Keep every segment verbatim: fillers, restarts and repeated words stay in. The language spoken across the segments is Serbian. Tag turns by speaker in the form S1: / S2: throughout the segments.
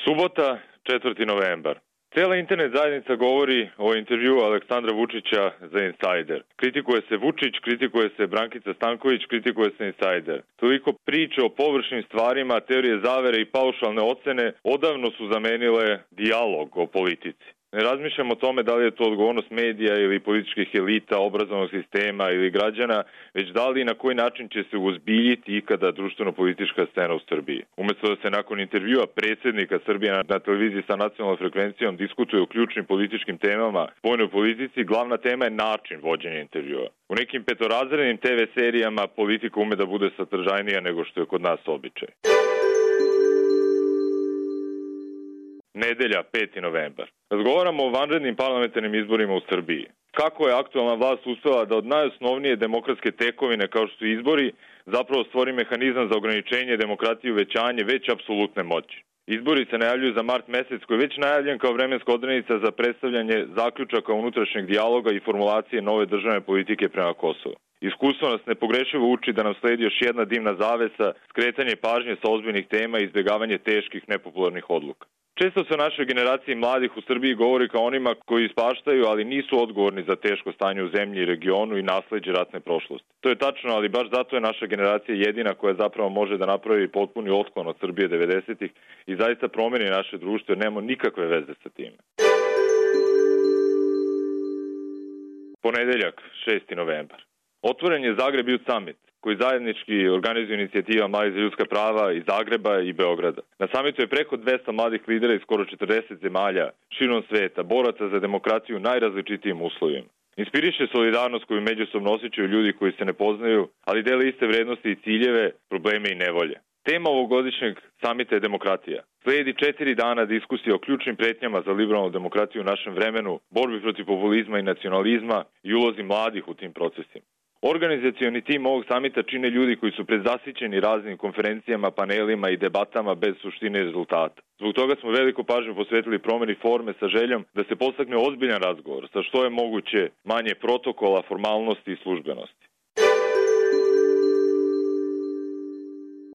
S1: Subota, četvrti novembar. Cijela internet zajednica govori o intervjuu Aleksandra Vučića za Insider. Kritikuje se Vučić, kritikuje se Brankica Stanković, kritikuje se Insider. Toliko priče o površnim stvarima, teorije zavere i paušalne ocene odavno su zamenile dijalog o politici. Ne razmišljamo o tome da li je to odgovornost medija ili političkih elita, obrazovnog sistema ili građana, već da li i na koji način će se uzbiljiti ikada društveno-politička scena u Srbiji. Umjesto da se nakon intervjua predsjednika Srbije na televiziji sa nacionalnom frekvencijom diskutuje o ključnim političkim temama spoljnoj politici, glavna tema je način vođenja intervjua. U nekim petorazrednim te ve serijama politika ume da bude sadržajnija nego što je kod nas običaj. Nedelja, peti novembar. Razgovaramo o vanrednim parlamentarnim izborima u Srbiji. Kako je aktualna vlast uspela da od najosnovnije demokratske tekovine kao što su izbori zapravo stvori mehanizam za ograničenje demokratije i uvećanje već apsolutne moći. Izbori se najavljuju za mart mesec koji je već najavljen kao vremenska odrednica za predstavljanje zaključaka unutrašnjeg dijaloga i formulacije nove državne politike prema Kosovu. Iskustvo nas nepogrešivo uči da nam sledi još jedna dimna zavesa, skretanje pažnje sa ozbiljnih tema i izbjegavanje teških nepopularnih odluka. Često se o našoj generaciji mladih u Srbiji govori kao onima koji ispaštaju, ali nisu odgovorni za teško stanje u zemlji i regionu i nasleđe ratne prošlosti. To je tačno, ali baš zato je naša generacija jedina koja zapravo može da napravi potpuni otklon od Srbije devedesetih i zaista promeni naše društvo jer nemamo nikakve veze sa time. Ponedeljak, šesti novembar. Otvoren je Zagreb Youth Summit, koji zajednički organizuje inicijativa Mladih za ljudska prava iz Zagreba i Beograda. Na samitu je preko dvesta mladih lidera iz skoro četrdeset zemalja širom sveta, boraca za demokratiju u najrazličitijim uslovima. Inspiriše solidarnost koju međusobno osjećaju ljudi koji se ne poznaju, ali dele iste vrednosti i ciljeve, probleme i nevolje. Tema ovogodišnjeg samita je demokratija. Slijedi četiri dana diskusije o ključnim pretnjama za liberalnu demokratiju u našem vremenu, borbi protiv populizma i nacionalizma i ulozi mladih u tim procesima. Organizacioni tim ovog samita čine ljudi koji su prezasićeni raznim konferencijama, panelima i debatama bez suštine i rezultata. Zbog toga smo veliku pažnju posvetili promjeni forme sa željom da se postakne ozbiljan razgovor sa što je moguće manje protokola, formalnosti i službenosti.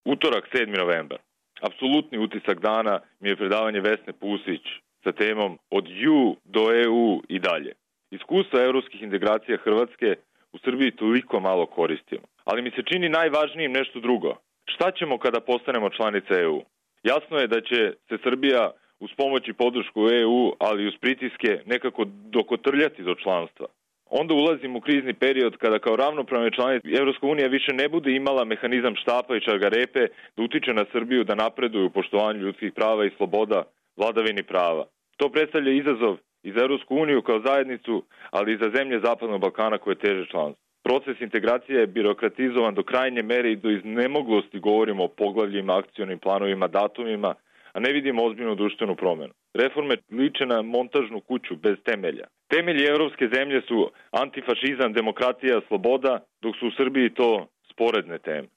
S1: Utorak, sedmi novembar. Apsolutni utisak dana mi je predavanje Vesne Pusić sa temom od ju do e u i dalje. Iskustva evropskih integracija Hrvatske u Srbiji toliko malo koristimo. Ali mi se čini najvažnijim nešto drugo. Šta ćemo kada postanemo članica e u? Jasno je da će se Srbija uz pomoć i podršku e u, ali i uz pritiske nekako dokotrljati do članstva. Onda ulazimo u krizni period kada kao ravnopravne članice Evropska unija više ne bude imala mehanizam štapa i čargarepe da utiče na Srbiju da napreduje u poštovanju ljudskih prava i sloboda, vladavini prava. To predstavlja izazov i za Evropsku uniju kao zajednicu, ali i za zemlje Zapadnog Balkana koje teže članstvo. Proces integracije je birokratizovan do krajnje mere i do iznemoglosti govorimo o poglavljima, akcionim planovima, datumima, a ne vidimo ozbiljnu društvenu promjenu. Reforme liče na montažnu kuću bez temelja. Temelji evropske zemlje su antifašizam, demokratija, sloboda, dok su u Srbiji to sporedne teme.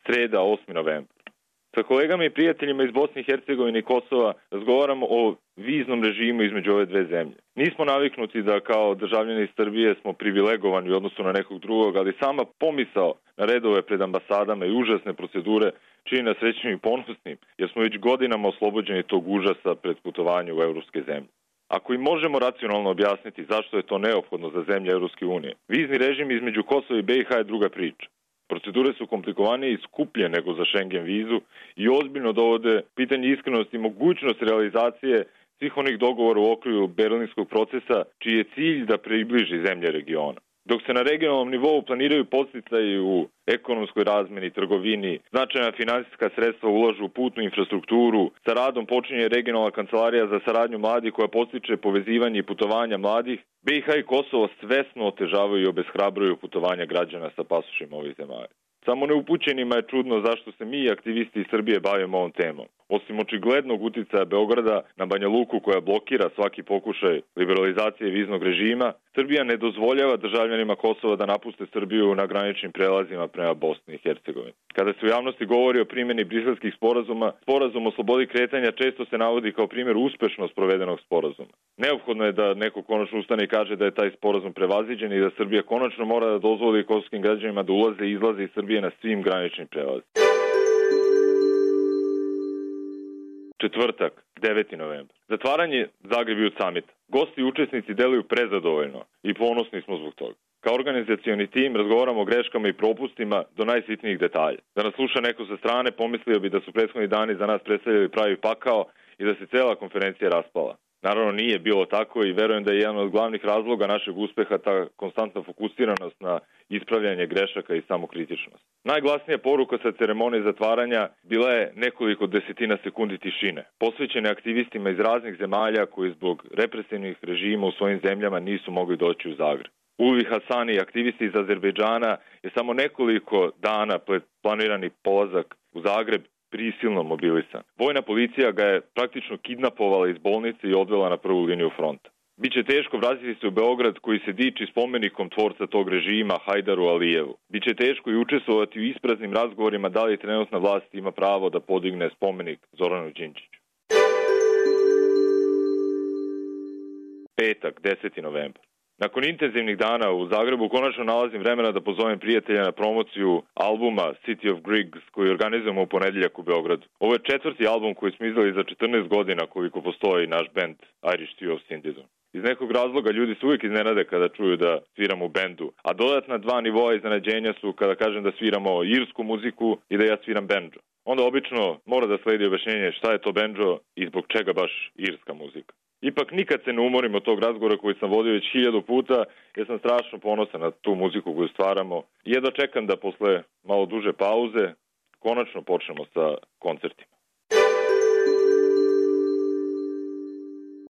S1: Sreda, osmi novembar. Sa kolegama i prijateljima iz Bosne i Hercegovine i Kosova razgovaramo o viznom režimu između ove dve zemlje. Nismo naviknuti da kao državljani iz Srbije smo privilegovani u odnosu na nekog drugog, ali sama pomisao na redove pred ambasadama i užasne procedure čini nas srećnim i ponosnim, jer smo već godinama oslobođeni tog užasa pred putovanje u evropske zemlje. Ako i možemo racionalno objasniti zašto je to neophodno za zemlje Evropske unije, vizni režim između Kosova i be i ha je druga priča. Procedure su komplikovanije i skuplje nego za Schengen vizu i ozbiljno dovode pitanje iskrenosti i mogućnost realizacije svih onih dogovora u okviru berlinskog procesa, čiji je cilj da približi zemlje regiona. Dok se na regionalnom nivou planiraju podsticaji u ekonomskoj razmeni, trgovini, značajna finansijska sredstva ulažu u putnu infrastrukturu, sa radom počinje regionalna kancelarija za saradnju mladih koja podstiče povezivanje i putovanja mladih, be i ha i Kosovo svesno otežavaju i obeshrabruju putovanja građana sa pasošima ovih zemalja. Samo neupućenima je čudno zašto se mi, aktivisti iz Srbije, bavimo ovom temom. Osim očiglednog uticaja Beograda na Banja Luku koja blokira svaki pokušaj liberalizacije viznog režima, Srbija ne dozvoljava državljanima Kosova da napuste Srbiju na graničnim prelazima prema Bosni i Hercegovini. Kada se u javnosti govori o primjeni briselskih sporazuma, sporazum o slobodi kretanja često se navodi kao primjer uspešno sprovedenog sporazuma. Neophodno je da neko konačno ustane i kaže da je taj sporazum prevaziđen i da Srbija konačno mora da dozvoli kosovskim građanima da ulaze i izlaze iz Srbije na svim graničnim prelazima. Četvrtak, deveti novembar. Zatvaranje Zagreb Youth Summita. Gosti i učesnici deluju prezadovoljno i ponosni smo zbog toga. Kao organizacioni tim razgovaramo o greškama i propustima do najsitnijih detalja. Da nas sluša neko sa strane, pomislio bi da su prethodni dani za nas predstavljali pravi pakao i da se cela konferencija raspala. Naravno nije bilo tako i verujem da je jedan od glavnih razloga našeg uspeha ta konstantna fokusiranost na ispravljanje grešaka i samokritičnost. Najglasnija poruka sa ceremonije zatvaranja bila je nekoliko desetina sekundi tišine, posvećene aktivistima iz raznih zemalja koji zbog represivnih režima u svojim zemljama nisu mogli doći u Zagreb. Ulvi Hasani, aktivisti iz Azerbejdžana, je samo nekoliko dana pred planirani polazak u Zagreb prisilno mobilisan. Vojna policija ga je praktično kidnapovala iz bolnice i odvela na prvu liniju fronta. Biće teško vratiti se u Beograd koji se diči spomenikom tvorca tog režima Hajdaru Alijevu. Biće teško i učestvovati u ispraznim razgovorima da li trenutna vlast ima pravo da podigne spomenik Zoranu Đinđiću. Petak, deseti novembar. Nakon intenzivnih dana u Zagrebu konačno nalazim vremena da pozovem prijatelja na promociju albuma City of Grigs koji organizujemo u ponedeljak u Beogradu. Ovo je četvrti album koji smo izdali za četrnaest godina koliko postoji naš band Irish Trio of Syndidon. Iz nekog razloga ljudi se uvijek iznenade kada čuju da sviramo u bendu, a dodatna dva nivoa iznenađenja su kada kažem da sviramo irsku muziku i da ja sviram bendžo. Onda obično mora da sledi objašnjenje šta je to bendžo i zbog čega baš irska muzika. Ipak nikad se ne umorim od tog razgovora koji sam vodio već hiljadu puta jer sam strašno ponosan na tu muziku koju stvaramo i jedva čekam da posle malo duže pauze konačno počnemo sa koncertima.